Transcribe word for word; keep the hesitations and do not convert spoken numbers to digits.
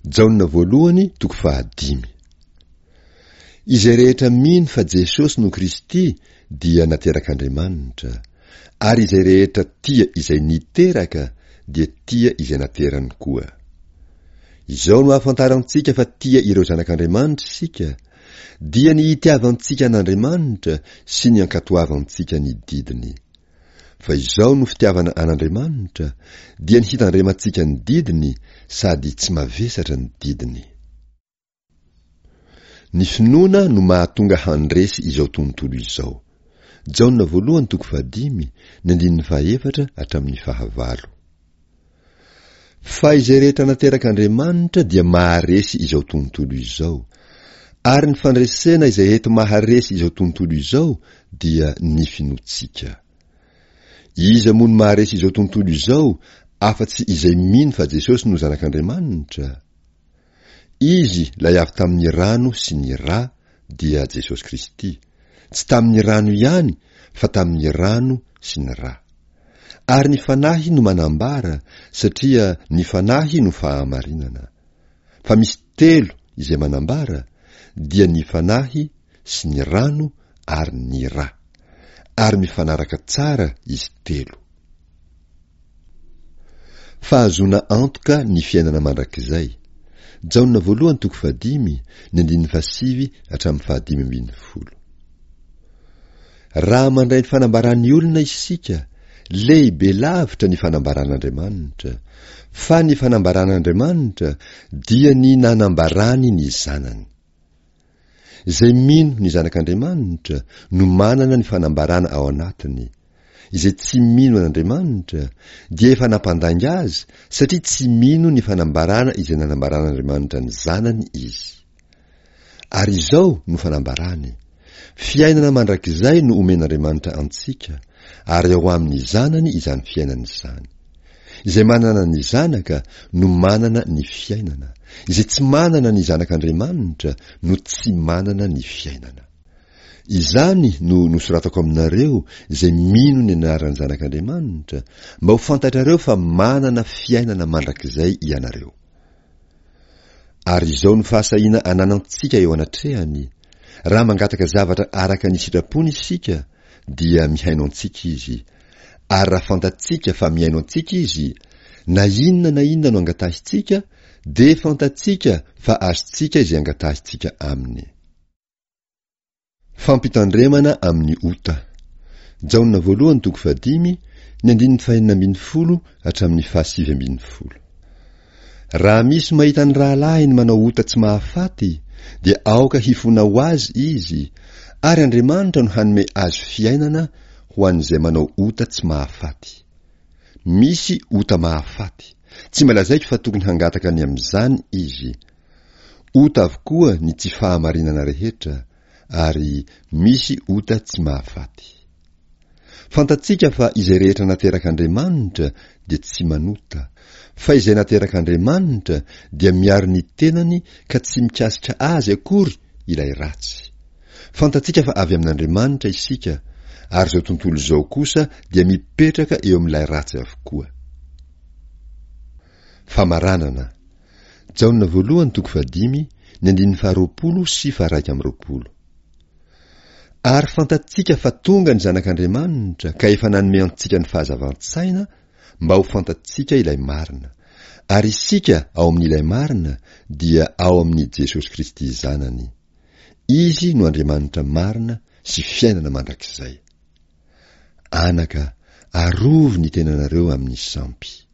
Jaona voalohany toko fahadimy. Izay rehetra mino fa Jesosy no Kristy dia naterak'Andriamanitra, ary izay rehetra tia izay niteraka dia tia izay naterany koa. Izao no ahafantarantsika fa tia ireo zanak'Andriamanitra isika, dia ny itiavantsika an'Andriamanitra sy ny ankatoavantsika ny didiny. Fa izao no fitiavana an'Andriamanitra, dia ny hitandremantsika ny didiny sady tsy mavesatra ny didiny. Ny finoana no mahatonga handresy izao tontolo izao. Jaona voalohany toko fahadimy, ny andininy fahaefatra hatramin'ny fahavalo. Fa izay rehetra naterak'Andriamanitra dia maharesy izao tontolo izao. Ary ny fandresena izay eto maharesy izao tontolo izao dia ny finoantsika. Iza moa no maharesy izao tontolo izao afa-tsy izay mino fa Jesosy no Zanak'Andriamanitra? Izy ilay avy tamin'ny rano sy ny rà dia Jesosy Kristy, tsy tamin'ny rano ihany fa tamin'ny rano sy ny rà. Ary ny Fanahy no manambara, satria ny Fanahy no fahamarinana. Fa misy telo izay manambara, dia ny Fanahy sy ny rano ary ny rà. Ary mifanaraka tsara izy telo. Fahazoana antoka ny fiainana mandrakizay. Jaona voalohany toko fahadimy, ny andininy fahasivy hatramin'ny fahadimy ambin'ny folo. Raha mandray ny fanambaran'ny olona isika, lehibe lavitra ny fanambaran'Andriamanitra, fa ny fanambaran'Andriamanitra dia ny nanambarany ny Zanany. Izay mino ny Zanak'Andriamanitra no manana ny fanambarana ao anatiny. Izay tsy mino an'Andriamanitra dia efa nampandainga azy satria tsy mino ny fanambarana izay nanambaran'Andriamanitra ny Zanany izy. Ary izao no fanambarany, fiainana mandrakizay no omen'Andriamanitra antsika, ary ao amin'ny Zanany izany fiainana izany. Izay manana ny Zanaka no manana ny fiainana, izay tsy manana ny Zanak'Andriamanitra no tsy manana ny fiainana. Izany no nosoratako aminareo izay mino ny anaran'ny Zanak'Andriamanitra, mba ho fantatrareo fa manana fiainana mandrakizay ianareo. Ary izao no fahasahiana ananantsika eo anatrehany, raha mangataka zavatra araka ny sitrapony isika, dia mihaino antsika izy. Ary raha fantatsika fa mihaino antsika izy, na inona na inona no angatahintsika, dia fantatsika fa azontsika izay angatahintsika aminy. Fampitandremana amin'ny ota. Jaona voalohany toko fahadimy, ny andininy fahenina ambin'ny folo hatramin'ny fahasivy ambin'ny folo. Raha misy mahita ny rahalahiny manao ota tsy mahafaty, dia aoka hifona ho azy izy, ary Andriamanitra no hanome azy fiainana ho an'izay manao ota tsy mahafaty. Misy ota mahafaty. Tsy mba lazaiko fa tokony hangataka ny amin'izany izy. Ota avokoa ny tsy fahamarinana rehetra, ary misy ota tsy mahafaty. Fantatsika fa izay rehetra naterak'Andriamanitra dia tsy manota, fa izay naterak'Andriamanitra dia miaro ny tenany ka tsy mikasika azy akory ilay ratsy. Fantatsika fa avy amin'Andriamanitra isika, ary izao tontolo izao kosa dia mipetraka eo amin'ilay ratsy avokoa. Famaranana. Jaona voalohany toko fahadimy, ny andininy faharoapolo sy faharaika amby roapolo. Ary fantatsika fa tonga ny Zanak'Andriamanitra ka efa nanome antsika ny fahazavan-tsaina mba ho fantatsika ilay marina. Ary isika ao amin'ilay marina dia ao amin'i Jesosy Kristy Zanany. Izy no Andriamanitra marina sy fiainana mandrakizay. Anaka, arovy ny tenanareo amin'ny sampy.